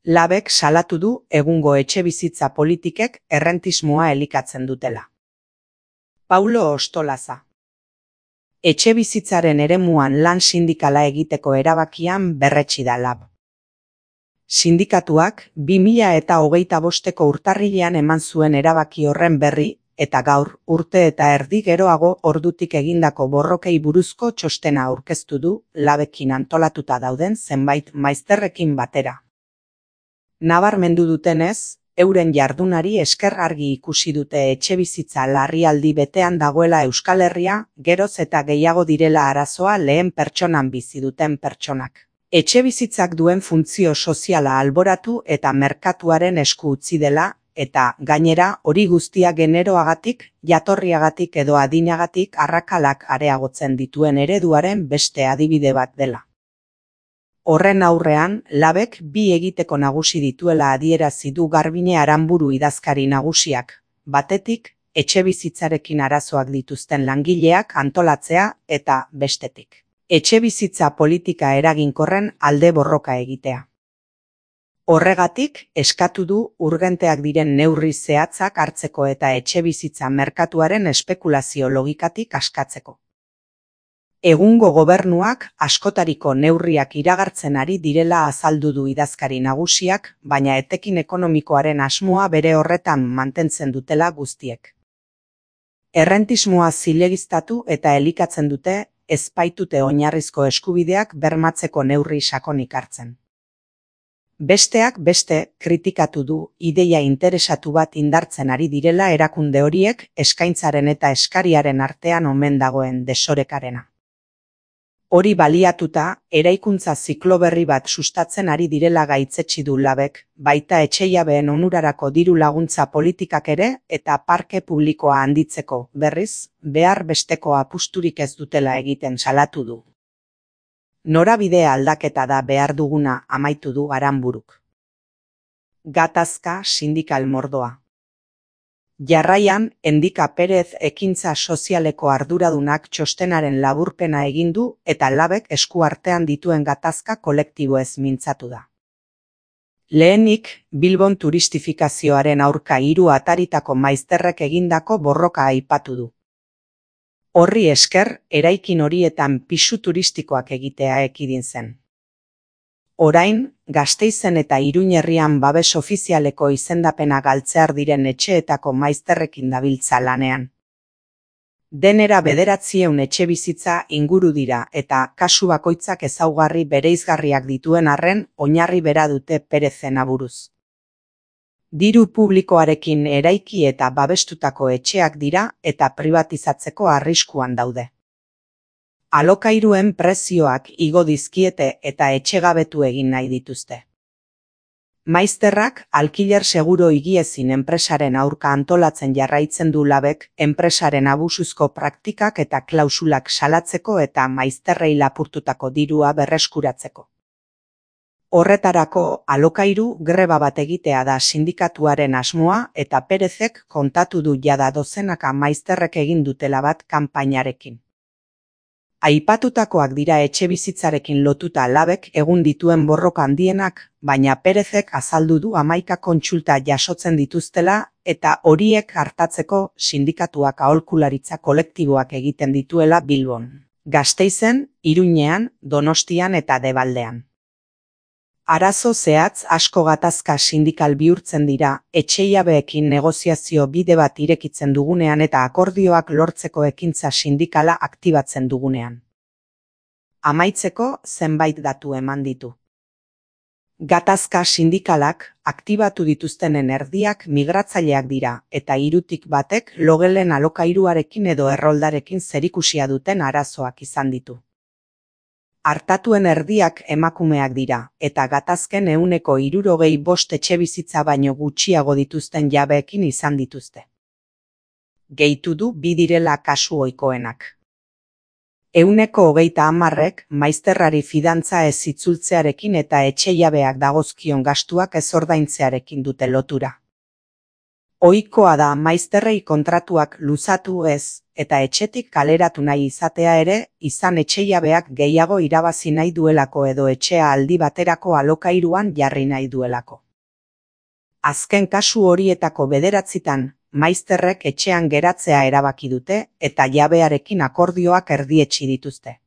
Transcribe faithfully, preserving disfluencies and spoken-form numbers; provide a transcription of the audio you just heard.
Labek salatu du egungo etxebizitza politikek errentismoa elikatzen dutela. Paulo Ostolaza. Etxebizitzaren eremuan lan sindikala egiteko erabakian berretsi da Lab. Sindikatuak bi mila eta hogeita bosteko urtarrilean eman zuen erabaki horren berri, eta gaur, urte eta erdi geroago ordutik egindako borrokei buruzko txostena aurkeztu du Labekin antolatuta dauden zenbait maizterrekin batera. Nabarmendu dutenez, euren jardunari esker argi ikusi dute etxebizitza larrialdi betean dagoela Euskal Herria, geroz eta gehiago direla arazoa lehen pertsonan bizi duten pertsonak. Etxebizitzak duen funtzio soziala alboratu eta merkatuaren esku utzi dela, eta gainera hori guztia generoagatik, jatorriagatik edo adinagatik arrakalak areagotzen dituen ereduaren beste adibide bat dela. Horren aurrean, Labek bi egiteko nagusi dituela adierazi du Garbine Aranburu idazkari nagusiak, batetik, etxebizitzarekin arazoak dituzten langileak antolatzea eta bestetik. Etxebizitza politika eraginkorren alde borroka egitea. Horregatik, eskatu du urgenteak diren neurri zehatzak hartzeko eta etxebizitza merkatuaren espekulazio logikatik askatzeko. Egungo gobernuak askotariko neurriak iragartzen ari direla azaldu du idazkari nagusiak, baina etekin ekonomikoaren asmoa bere horretan mantentzen dutela guztiek. Errentismoa zilegiztatu eta elikatzen dute, ez baitute oinarrizko eskubideak bermatzeko neurri sakonik hartzen. Besteak beste, kritikatu du ideia interesatu bat indartzen ari direla erakunde horiek eskaintzaren eta eskariaren artean omen dagoen desorekarena. Hori baliatuta, eraikuntza ziklo berri bat sustatzen ari direla gaitzetsi du Labek, baita etxejabeen onurarako diru laguntza politikak ere eta parke publikoa handitzeko, berriz, behar besteko apusturik ez dutela egiten salatu du. Norabide aldaketa da behar duguna amaitu du Aranburuk. Gatazka sindikal mordoa. Jarraian, Endika Perez ekintza sozialeko arduradunak txostenaren laburpena egin du eta Labek esku artean dituen gatazka kolektiboez mintzatu da. Lehenik, Bilbon turistifikazioaren aurka hiru ataritako maizterrek egindako borroka aipatu du. Horri esker, eraikin horietan pisu turistikoak egitea ekidin zen. Orain, Gasteizen eta Iruñerrian babes ofizialeko izendapena galtzear diren etxeetako maizterrekin dabiltza lanean. Denera bederatziehun etxebizitza inguru dira eta kasu bakoitzak ezaugarri bereizgarriak dituen arren oinarri bera dute Perezen aburuz. Diru publikoarekin eraiki eta babestutako etxeak dira eta pribatizatzeko arriskuan daude. Alokairuen prezioak igo dizkiete eta etxegabetu egin nahi dituzte. Maizterrak alkiler seguro higiezin enpresaren aurka antolatzen jarraitzen du Labek enpresaren abusuzko praktikak eta klausulak salatzeko eta maizterrei lapurtutako dirua berreskuratzeko. Horretarako alokairu greba bat egitea da sindikatuaren asmoa eta Perezek kontatu du jada dozenaka maizterrek egin dutela bat kanpainarekin. Aipatutakoak dira etxebizitzarekin lotuta Labek egun dituen borroka handienak, baina Perezek azaldu du hamaika kontsulta jasotzen dituztela eta horiek hartatzeko sindikatuak aholkularitza kolektiboak egiten dituela Bilbon, Gasteizen, Iruñean, Donostian eta Debaldean. Arazo zehatz asko gatazka sindikal bihurtzen dira, etxeiabeekin negoziazio bide bat irekitzen dugunean eta akordioak lortzeko ekintza sindikala aktibatzen dugunean. Amaitzeko zenbait datu eman ditu. Gatazka sindikalak aktibatu dituztenen erdiak migratzaileak dira eta hirutik batek logelen alokairuarekin edo erroldarekin zerikusia duten arazoak izan ditu. Artatuen erdiak emakumeak dira, eta gatazken ehuneko hirurogei bost etxebizitza baino gutxiago dituzten jabeekin izan dituzte. Gehitu du bi direla kasu ohikoenak. Ehuneko hogeita hamarrek maizterrari fidantza ez itzultzearekin eta etxe jabeak dagozkion gastuak ez ordaintzearekin dute lotura. Ohikoa da maizterrei kontratuak luzatu ez, eta etxetik kaleratu nahi izatea ere, izan etxejabeak gehiago irabazi nahi duelako edo etxea aldi baterako alokairuan jarri nahi duelako. Azken kasu horietako bederatzitan, maizterrek etxean geratzea erabaki dute eta jabearekin akordioak erdietsi dituzte.